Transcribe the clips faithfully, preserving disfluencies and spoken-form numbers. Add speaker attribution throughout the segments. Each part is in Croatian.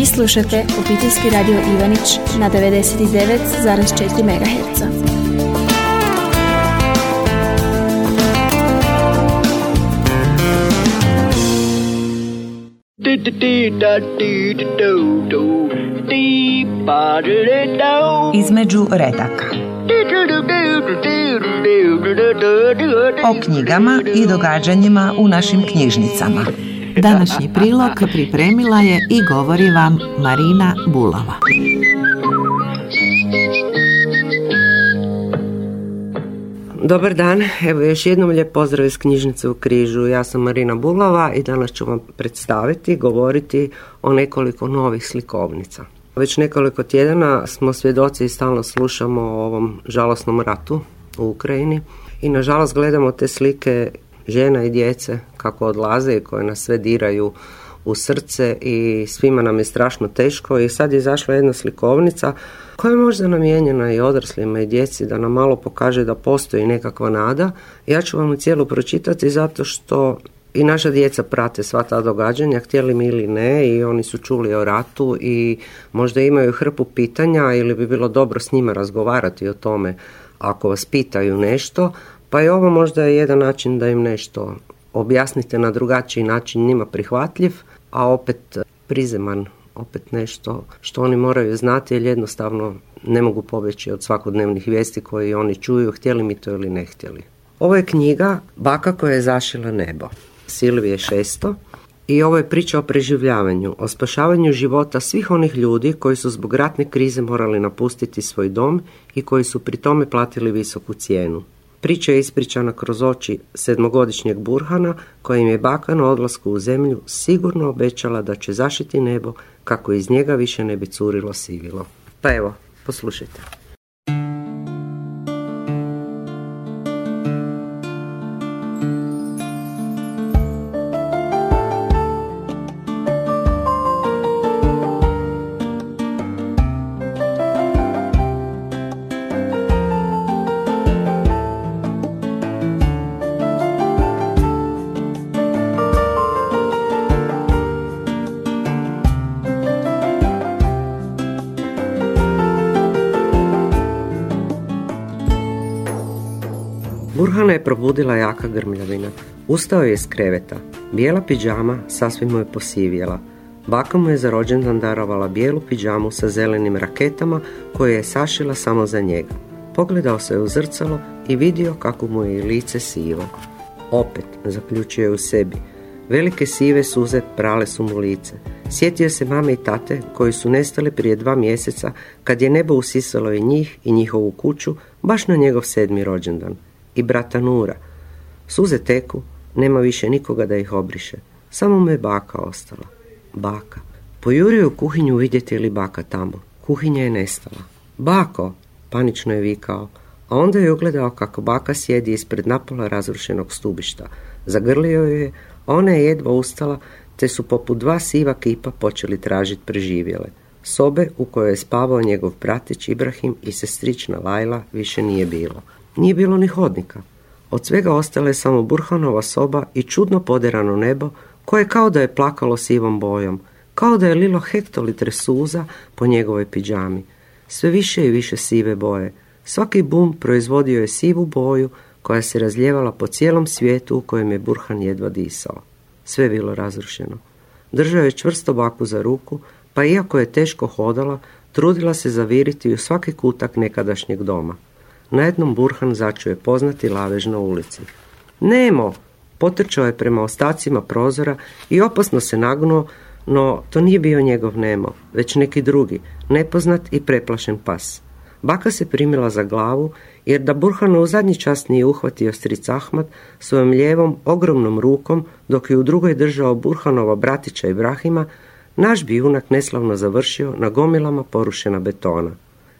Speaker 1: Vi slušate Obiteljski radio Ivanić na devedeset devet zarez četiri megaherca.
Speaker 2: Između redaka. O knjigama i događanjima u našim knjižnicama. Današnji prilog pripremila je i govori vam Marina Bulava.
Speaker 3: Dobar dan, evo još jednom lijep pozdrav iz knjižnice u Križu. Ja sam Marina Bulava i danas ću vam predstaviti, govoriti o nekoliko novih slikovnica. Već nekoliko tjedana smo svjedoci i stalno slušamo o ovom žalosnom ratu u Ukrajini i nažalost gledamo te slike žena i djece kako odlaze i koje nas sve diraju u srce i svima nam je strašno teško. I sad je izašla jedna slikovnica koja je možda namijenjena i odraslima i djeci da nam malo pokaže da postoji nekakva nada. Ja ću vam cijelu pročitati zato što i naša djeca prate sva ta događanja, htjeli mi ili ne, i oni su čuli o ratu i možda imaju hrpu pitanja ili bi bilo dobro s njima razgovarati o tome ako vas pitaju nešto. Pa je ovo možda jedan način da im nešto objasnite na drugačiji način, njima prihvatljiv, a opet prizeman, opet nešto što oni moraju znati jer jednostavno ne mogu pobjeći od svakodnevnih vijesti koje oni čuju, htjeli mi to ili ne htjeli. Ovo je knjiga Baka koja je zašila nebo, Silvije Šesto, i ovo je priča o preživljavanju, o spašavanju života svih onih ljudi koji su zbog ratne krize morali napustiti svoj dom i koji su pri tome platili visoku cijenu. Priča je ispričana kroz oči sedmogodišnjeg Burhana kojim je baka na odlasku u zemlju sigurno obećala da će zašiti nebo kako iz njega više ne bi curilo sivilo. Pa evo, poslušajte. Burhana je probudila jaka grmljavina. Ustao je iz kreveta. Bijela pidžama sasvim mu je posivjela. Baka mu je za rođendan darovala bijelu pidžamu sa zelenim raketama koju je sašila samo za njega. Pogledao se u zrcalo i vidio kako mu je lice sivo. Opet, zaključio je u sebi. Velike sive suze prale su mu lice. Sjetio se mame i tate koji su nestali prije dva mjeseca kad je nebo usisalo i njih i njihovu kuću baš na njegov sedmi rođendan. I brata Nura. Suze teku, nema više nikoga da ih obriše. Samo mu je baka ostala. Baka. Pojurio u kuhinju vidjeti li baka tamo. Kuhinja je nestala. Bako, panično je vikao, a onda je ugledao kako baka sjedi ispred napola razrušenog stubišta. Zagrlio je, a ona je jedva ustala, te su poput dva siva kipa počeli tražiti preživjele. Sobe u kojoj je spavao njegov bratić Ibrahim i sestrična Lajla više nije bilo. Nije bilo ni hodnika. Od svega ostala je samo Burhanova soba i čudno poderano nebo koje kao da je plakalo sivom bojom, kao da je lilo hektolitre suza po njegovoj pidžami. Sve više i više sive boje. Svaki bum proizvodio je sivu boju koja se razljevala po cijelom svijetu u kojem je Burhan jedva disao. Sve je bilo razrušeno. Držao je čvrsto baku za ruku, pa iako je teško hodala, trudila se zaviriti u svaki kutak nekadašnjeg doma. Na jednom Burhan začuje poznati lavež na ulici. Nemo! Potrčao je prema ostacima prozora i opasno se nagnuo, no to nije bio njegov Nemo, već neki drugi, nepoznat i preplašen pas. Baka se primila za glavu, jer da Burhana u zadnji čas nije uhvatio stric Ahmad svojom lijevom ogromnom rukom, dok je u drugoj držao Burhanova bratića Ibrahima, naš bi junak neslavno završio na gomilama porušena betona.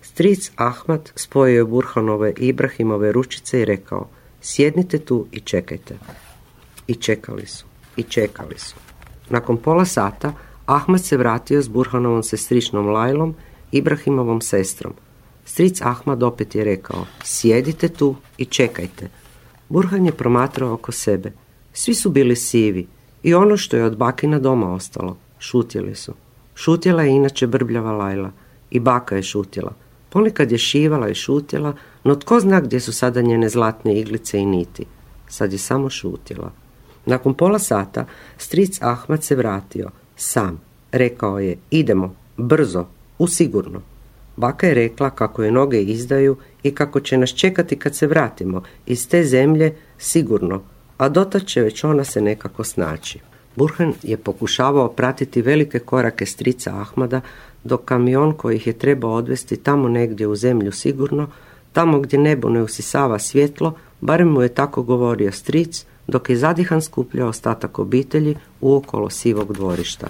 Speaker 3: Stric Ahmad spojio je Burhanove i Ibrahimove ručice i rekao: sjednite tu i čekajte. I čekali su, i čekali su. Nakon pola sata Ahmad se vratio s Burhanovom sestričnom Lajlom, Ibrahimovom sestrom. Stric Ahmad opet je rekao: sjedite tu i čekajte. Burhan je promatrao oko sebe. Svi su bili sivi i ono što je od bakina doma ostalo. Šutjeli su. Šutjela je inače brbljava Lajla. I baka je šutjela. Ponekad je šivala i šutjela, no tko zna gdje su sada njene zlatne iglice i niti. Sad je samo šutjela. Nakon pola sata stric Ahmad se vratio. Sam. Rekao je, idemo, brzo, u sigurno. Baka je rekla kako je noge izdaju i kako će nas čekati kad se vratimo iz te zemlje sigurno, a dotad će već ona se nekako snaći. Burhan je pokušavao pratiti velike korake strica Ahmada dok kamion koji ih je trebao odvesti tamo negdje u zemlju sigurno, tamo gdje nebo ne usisava svjetlo, barem mu je tako govorio stric, dok je zadihan skupljao ostatak obitelji uokolo sivog dvorišta.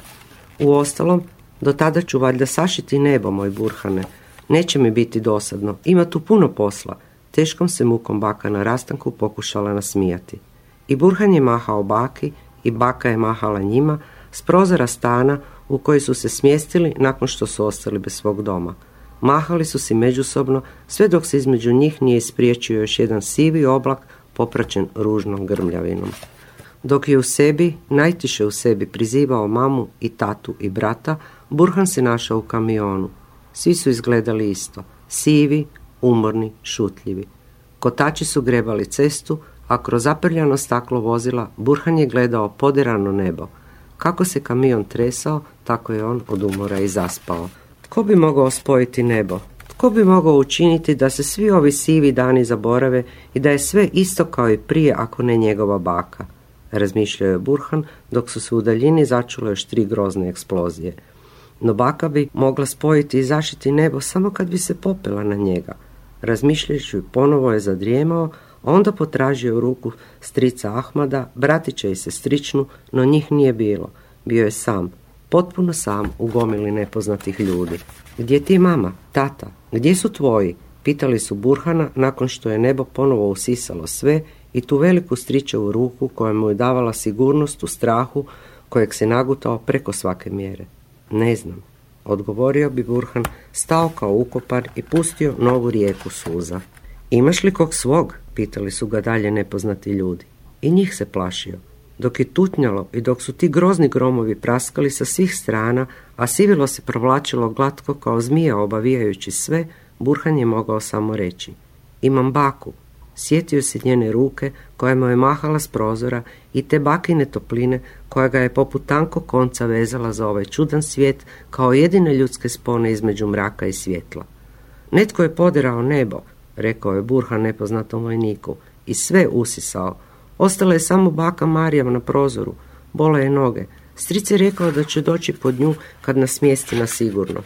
Speaker 3: Uostalom, do tada ću valjda sašiti nebo, moj Burhane. Neće mi biti dosadno, ima tu puno posla. Teškom se mukom baka na rastanku pokušala nasmijati. I Burhan je mahao baki i baka je mahala njima s prozora stana u koji su se smjestili nakon što su ostali bez svog doma. Mahali su si međusobno sve dok se između njih nije ispriječio još jedan sivi oblak popraćen ružnom grmljavinom. Dok je u sebi, najtiše u sebi prizivao mamu i tatu i brata, Burhan se našao u kamionu. Svi su izgledali isto, sivi, umorni, šutljivi. Kotači su grebali cestu, a kroz zaprljano staklo vozila Burhan je gledao poderano nebo. Kako se kamion tresao, tako je on od umora i zaspao. Tko bi mogao spojiti nebo? Tko bi mogao učiniti da se svi ovi sivi dani zaborave i da je sve isto kao i prije, ako ne njegova baka? Razmišljao je Burhan dok su se u daljini začule još tri grozne eksplozije. No baka bi mogla spojiti i zašiti nebo samo kad bi se popela na njega. Razmišljajući ponovo je zadrijemao, a onda potražio ruku strica Ahmada, bratića i sestričnu, no njih nije bilo. Bio je sam, potpuno sam u gomili nepoznatih ljudi. Gdje ti je mama, tata, gdje su tvoji? Pitali su Burhana nakon što je nebo ponovo usisalo sve i tu veliku stričevu ruku koja mu je davala sigurnost u strahu kojeg se nagutao preko svake mjere. Ne znam, odgovorio bi Burhan, stao kao ukopan i pustio novu rijeku suza. Imaš li kog svog? Pitali su ga dalje nepoznati ljudi. I njih se plašio. Dok je tutnjalo i dok su ti grozni gromovi praskali sa svih strana, a sivilo se provlačilo glatko kao zmija obavijajući sve, Burhan je mogao samo reći: imam baku. Sjetio se njene ruke koja mu je mahala s prozora i te bakine topline koja ga je poput tankog konca vezala za ovaj čudan svijet kao jedine ljudske spone između mraka i svjetla. Netko je poderao nebo, rekao je Burhan nepoznatom vojniku, i sve usisao. Ostala je samo baka Marijam na prozoru. Bole je noge. Stric je rekao da će doći pod nju kad nas smjesti na sigurno.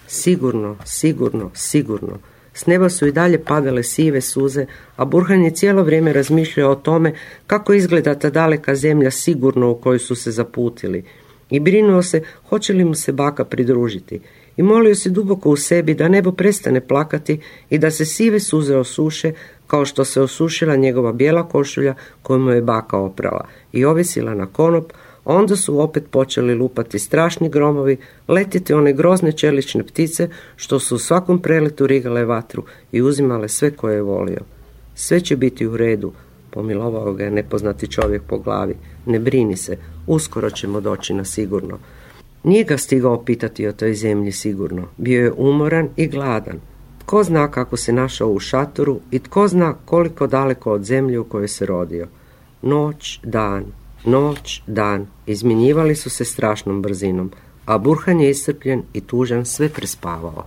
Speaker 3: Sigurno, sigurno, sigurno. S neba su i dalje padale sive suze, a Burhan je cijelo vrijeme razmišljao o tome kako izgleda ta daleka zemlja sigurno u koju su se zaputili. I brinuo se hoće li mu se baka pridružiti. I molio se duboko u sebi da nebo prestane plakati i da se sive suze osuše kao što se osušila njegova bijela košulja koju mu je baka oprala i ovisila na konop. Onda su opet počeli lupati strašni gromovi, letjeti one grozne čelične ptice što su u svakom preletu rigale vatru i uzimale sve koje je volio. Sve će biti u redu, pomilovao ga je nepoznati čovjek po glavi. Ne brini se, uskoro ćemo doći na sigurno. Nije ga stigao pitati o toj zemlji sigurno. Bio je umoran i gladan. Tko zna kako se našao u šatoru i tko zna koliko daleko od zemlje u kojoj se rodio. Noć, dan, noć, dan izmjenjivali su se strašnom brzinom, a Burhan je iscrpljen i tužan sve prespavao.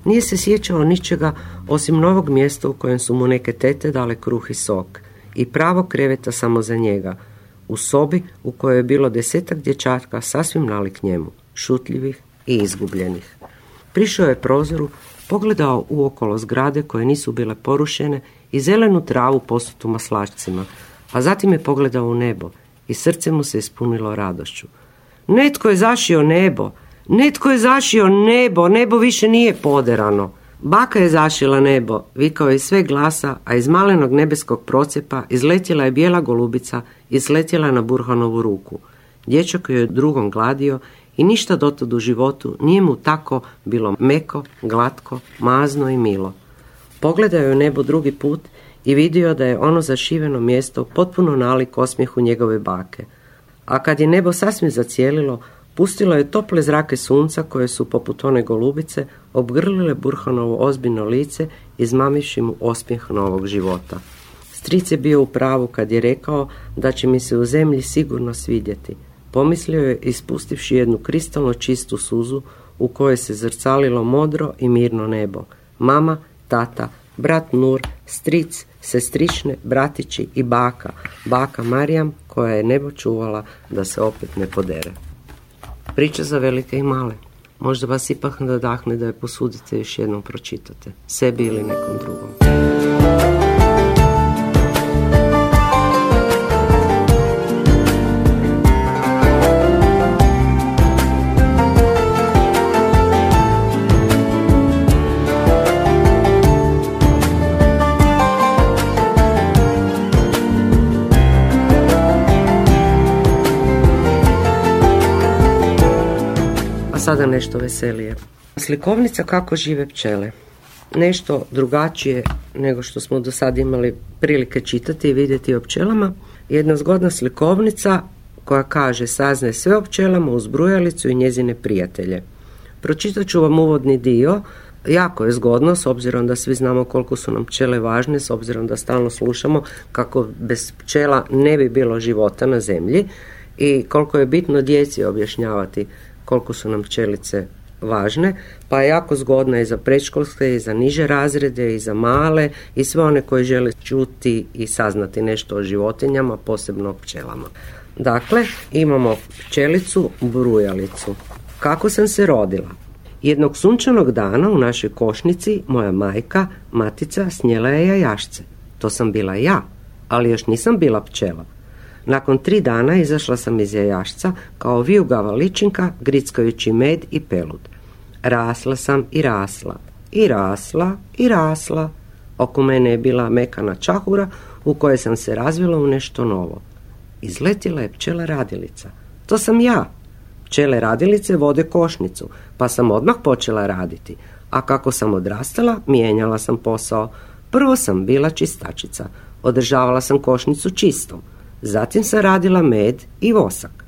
Speaker 3: Nije se sjećao ničega osim novog mjesta u kojem su mu neke tete dale kruh i sok i pravog kreveta samo za njega, u sobi u kojoj je bilo desetak dječaka sasvim nalik njemu, šutljivih i izgubljenih. Prišao je prozoru, pogledao uokolo zgrade koje nisu bile porušene i zelenu travu posutu maslačcima, a zatim je pogledao u nebo i srce mu se ispunilo radošću. Netko je zašio nebo, netko je zašio nebo, nebo više nije poderano. Baka je zašila nebo, vikao je iz sve glasa, a iz malenog nebeskog procjepa izletjela je bijela golubica i sletjela na Burhanovu ruku. Dječak je drugom gladio i ništa dotad u životu nije mu tako bilo meko, glatko, mazno i milo. Pogledao je u nebo drugi put i vidio da je ono zašiveno mjesto potpuno nalik osmijehu njegove bake. A kad je nebo sasvim zacijelilo, Pustilo je tople zrake sunca koje su, poput one golubice, obgrlile Burhanovo ozbiljno lice, izmamivši mu osmijeh novog života. Stric je bio u pravu kad je rekao da će mi se u zemlji sigurno svidjeti. Pomislio je, ispustivši jednu kristalno čistu suzu u kojoj se zrcalilo modro i mirno nebo. Mama, tata, brat Nur, stric, sestrične, bratići i baka, baka Marijam, koja je nebo čuvala da se opet ne podere. Priča za velike i male. Možda vas ipak nadahne da je posudite još jednom pročitate, sebi ili nekom drugom. Sada nešto veselije. Slikovnica kako žive pčele. Nešto drugačije nego što smo do sad imali prilike čitati i vidjeti o pčelama. Jedna zgodna slikovnica koja kaže: saznaje sve o pčelama uz brujalicu i njezine prijatelje. Pročitat ću vam uvodni dio. Jako je zgodno, s obzirom da svi znamo koliko su nam pčele važne, s obzirom da stalno slušamo kako bez pčela ne bi bilo života na zemlji i koliko je bitno djeci objašnjavati koliko su nam pčelice važne, pa je jako zgodna i za predškolske, i za niže razrede, i za male, i sve one koji žele čuti i saznati nešto o životinjama, posebno o pčelama. Dakle, imamo pčelicu brujalicu. Kako sam se rodila? Jednog sunčanog dana u našoj košnici moja majka, matica, snijela je jajašce. To sam bila ja, ali još nisam bila pčela. Nakon tri dana izašla sam iz jajašca kao vijugava ličinka, grickajući med i pelud. Rasla sam i rasla, i rasla, i rasla. Oko mene je bila mekana čahura u kojoj sam se razvila u nešto novo. Izletjela je pčela radilica. To sam ja. Pčele radilice vode košnicu, pa sam odmah počela raditi. A kako sam odrastala, mijenjala sam posao. Prvo sam bila čistačica. Održavala sam košnicu čistom. Zatim sam radila med i vosak,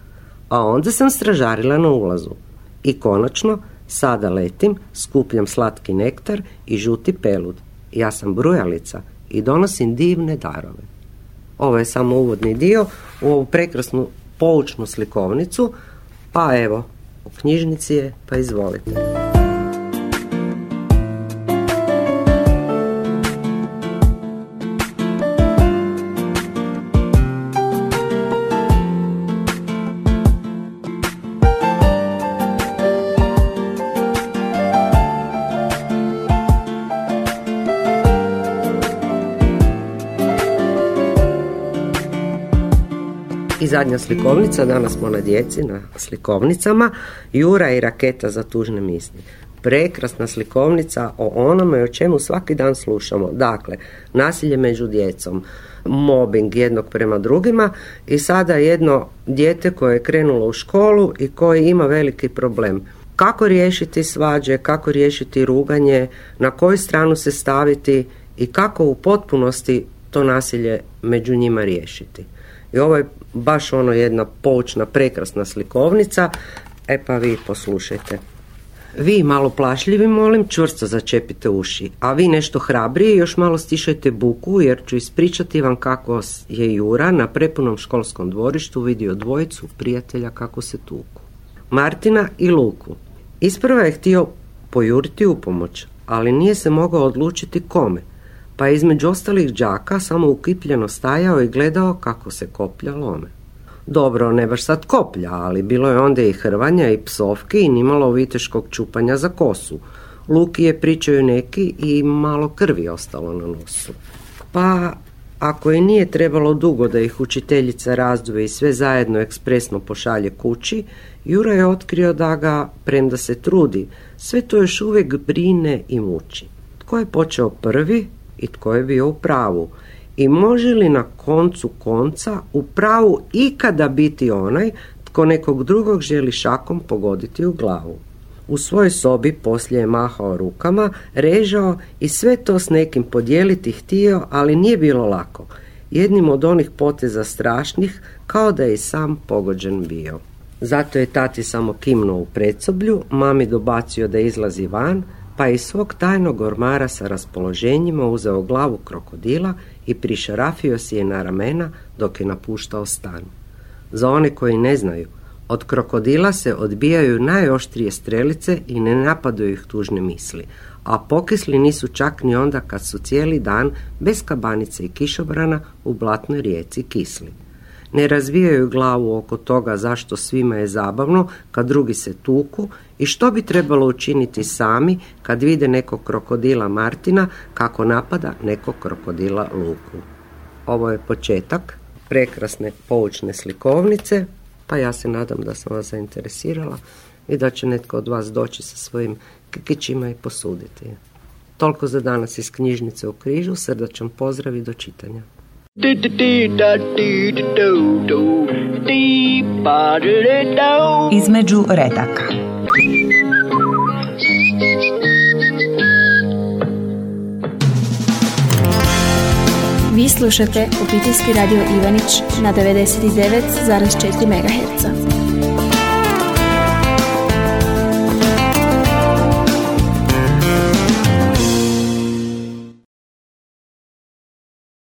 Speaker 3: a onda sam stražarila na ulazu. I konačno, sada letim, skupljam slatki nektar i žuti pelud. Ja sam brujalica i donosim divne darove. Ovo je samo uvodni dio u ovu prekrasnu poučnu slikovnicu, pa evo, u knjižnici je, pa izvolite. I zadnja slikovnica, danas smo na djeci, na slikovnicama, Jura i raketa za tužne misli. Prekrasna slikovnica o onome o čemu svaki dan slušamo. Dakle, nasilje među djecom, mobbing jednog prema drugima i sada jedno dijete koje je krenulo u školu i koje ima veliki problem. Kako riješiti svađe, kako riješiti ruganje, na koju stranu se staviti i kako u potpunosti to nasilje među njima riješiti. I ovo je baš ono jedna poučna, prekrasna slikovnica. E pa vi poslušajte. Vi malo plašljivi, molim, čvrsto začepite uši, a vi nešto hrabriji još malo stišajte buku, jer ću ispričati vam kako je Jura na prepunom školskom dvorištu vidio dvojicu prijatelja kako se tuku. Martina i Luku. Isprva je htio pojuriti u pomoć, ali nije se mogao odlučiti kome, pa je između ostalih đaka samo ukipljeno stajao i gledao kako se koplja lome. Dobro, ne baš sad koplja, ali bilo je onda i hrvanja i psovki i nimalo viteškog čupanja za kosu. Luki je pričaju neki i malo krvi ostalo na nosu. Pa, ako i nije trebalo dugo da ih učiteljica razdvoji i sve zajedno ekspresno pošalje kući, Jura je otkrio da ga, premda se trudi, sve to još uvijek brine i muči. Tko je počeo prvi i tko je bio u pravu? I može li na koncu konca u pravu ikada biti onaj tko nekog drugog želi šakom pogoditi u glavu? U svojoj sobi poslije je mahao rukama, režao i sve to s nekim podijeliti htio, ali nije bilo lako. Jednim od onih poteza strašnih, kao da je i sam pogođen bio. Zato je tati samo kimnuo u predsoblju, mami dobacio da izlazi van, pa iz svog tajnog ormara sa raspoloženjima uzeo glavu krokodila i prišarafio si je na ramena dok je napuštao stan. Za one koji ne znaju, od krokodila se odbijaju najoštrije strelice i ne napadaju ih tužne misli, a pokisli nisu čak ni onda kad su cijeli dan bez kabanice i kišobrana u blatnoj rijeci kisli. Ne razvijaju glavu oko toga zašto svima je zabavno kad drugi se tuku i što bi trebalo učiniti sami kad vide nekog krokodila Martina kako napada nekog krokodila Luku. Ovo je početak prekrasne poučne slikovnice, pa ja se nadam da sam vas zainteresirala i da će netko od vas doći sa svojim kikićima i posuditi. Toliko za danas iz knjižnice u Križu, srdačan pozdrav i do čitanja.
Speaker 2: Između redaka.
Speaker 1: Vi slušate Obiteljski radio Ivanić na devedeset devet zarez četiri megaherca.